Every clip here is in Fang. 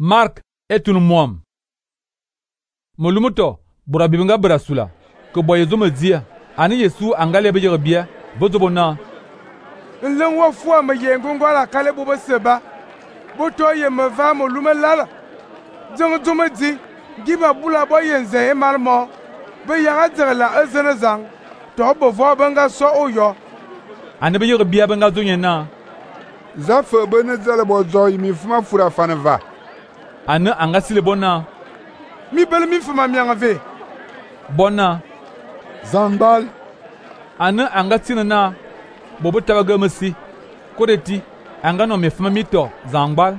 Mark etun muam. Molumuto bura bibinga bra sula ke boye zo media ani Yesu angale be yerbia bozo na. Nlen wo fua me yengo ngwala kale bo seba. Bo to ye me va mo lume lala. Jeng zo me di giba bula bo yenze e malmo. Be yaga dzela ezene zang. To bo vo benga so oyo. Ani be yerbia benga zo nyena. Za fe bene zele bo zo mi fuma fura faneva. Ani anga sile bona. Mi bele mi fuma mi angave. Bona. Zangbal. Ani anga tinana. Bobo tabaga mesi. Kodeti anga no me fuma mito zangbal.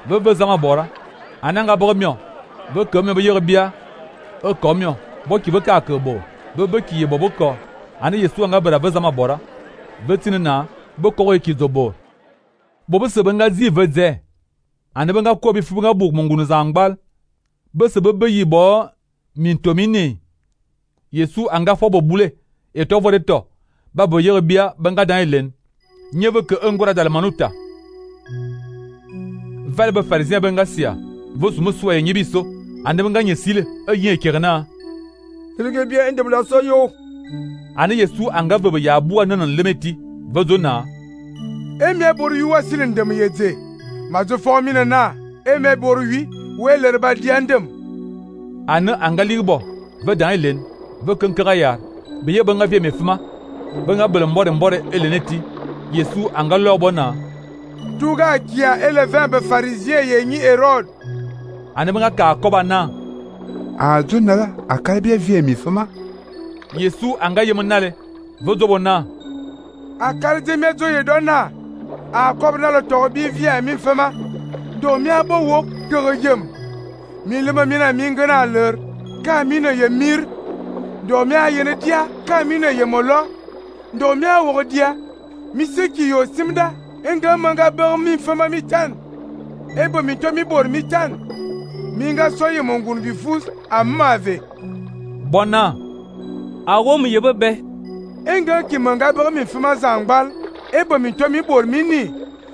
Ve zanga bora. Ananga boromio. Ve komio be yerbia. O komio. Bo ki be ka kebo. Be ki ye bobo ko. Ani Yesu anga bera ve zama bora. Ve tinana bo ko ki zobo. Bobo se benga zi ve ze. Ani benga ko bi fu benga buk mongunu zangbal. Be se be yi bo mintomini. Yesu anga fo bo bule. E to vode to. Ba bo yerbia benga dan elen. Nyeve ke ngora dal manuta. Val be pharisien benga sia. Vos muswa nyibiso. Ani benga nyesile e yin kerna. Tilge bia endem la so yo. Ani Yesu anga be ya bua nanan lemeti. Vozona. Eme boru yu wasilin dem yeze. Mazo formina na. Eme boru wi weler ba diandem. Ani anga ligbo. Ve dan elen. Ve kenkara ya. Be ye benga vie mefuma. Benga bele mbore eleneti. Yesu anga lobona. Tuga kia elevin be pharisien ye ni Herod. Ani benga ka koba na. A zonala akalbia vie mi fuma. Yesu anga yemenale. Vozobona. Akalje mezo ye dona. A kobna le tobi vie mi fuma. Do mi abo wo kereyem. Mi lema mina mingana leur. Ka mina ye mir. Do mi ayene dia ka mina ye molo. Do mi awo dia. Mi seki yo simda. Enga manga ber mi fuma mi tan. Ebo mi to mi bor mi tan. Minga soye mongun bifus amave. Bona. Awo mu yebebe. Enga ki manga ber mi fuma zangbal. Ebo mi to mi bor mini.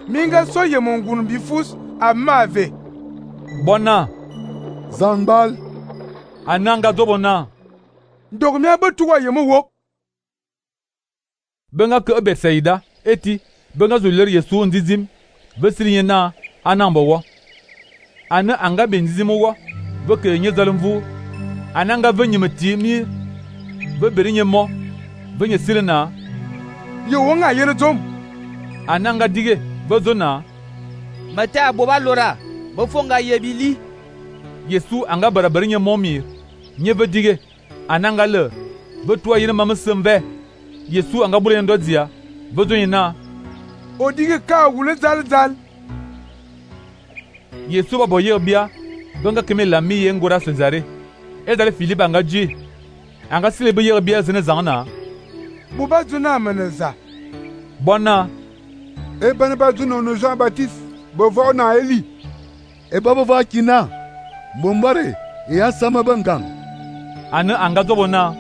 Minga soye mongun bifus amave. Bona. Zangbal. Ananga dobona. Dogmi abetuwa yemo wo. Benga ke Betsaida eti benga zuler Yesu ndizim vesiri na anambo wo. Ana anga benzim wo veke nye zalimvu. Ananga venyemeti mi ve berinye mo venye silena. Ye wonga yene tom. Ananga dige vezona. Mata boba lora. Bofonga yebili. Yesu anga berinye mo mi. Nye ve dige. Ananga le vetua yene mamesemve. Yesu anga bule ndodzia vezonyina. Odige ka wule zal. Yesu ba boye bia benga keme la mi yengora Cesare. Ezale Philippe anga ji. Anga sile be yerbia zene zangna. Buba zuna meneza. Bona. E bane ba zuno no Jean Baptiste. Bovo na Eli. E babo va kina. Bombare e asama bangang. Ana anga zobona.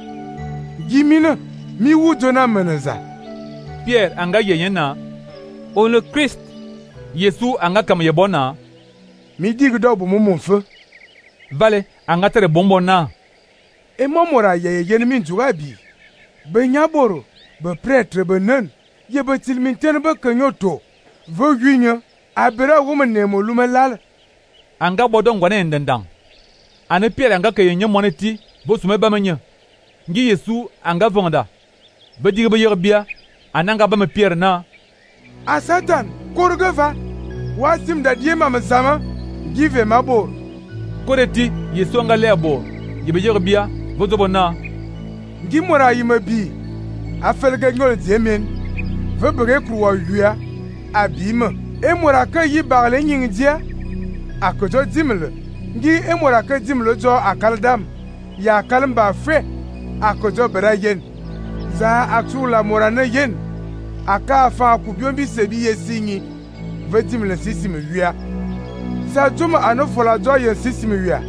Gimina mi wu zuna meneza. Pierre anga yeyena. On le Christ. Yesu anga kam yebona. Mi dig do bu mumum fe. Vale anga tere bombona. E momora ye yen min zugabi. Be nyaboro, be prêtre be nen. Ye be tilminten be kanyoto. Ve yunya abera woman ne mo lumelal. Anga bodon ngwane ndendang. Ane Pierre anga ke yenye moneti bo sume ba menya. Ngi Yesu anga vonda. Be dig be yerbia ananga ba me Pierre na. A Satan korgeva. Wasim da die mama sama. Give mabor. Kodeti Yesu anga lebo. Yebe yerbia vozobona. Ngi mora yimabi. Afelga ngol zemen. Ve bere kruwa yuya. Abima. E mora ka yi bagle nyingdia. Akojo dimle. Ngi e mora ka dimle jo akaldam. Ya kalmba fe. Akojo bera yen. Za aksula mora na yen. Aka fa kubion bi sebi yesinyi. Ve dimle sisimi yuya. Sa juma anofola jo yen sisimi yuya.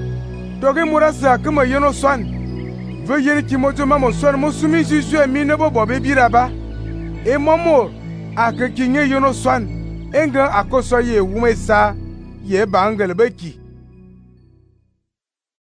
Doge mora sa kama yeno swan. Ve yen ki mojo mamo swan mo sumi jisu e mi nebo bobe biraba. E momo ake kinye yeno swan. Enga akoso ye wume sa ye bangele beki.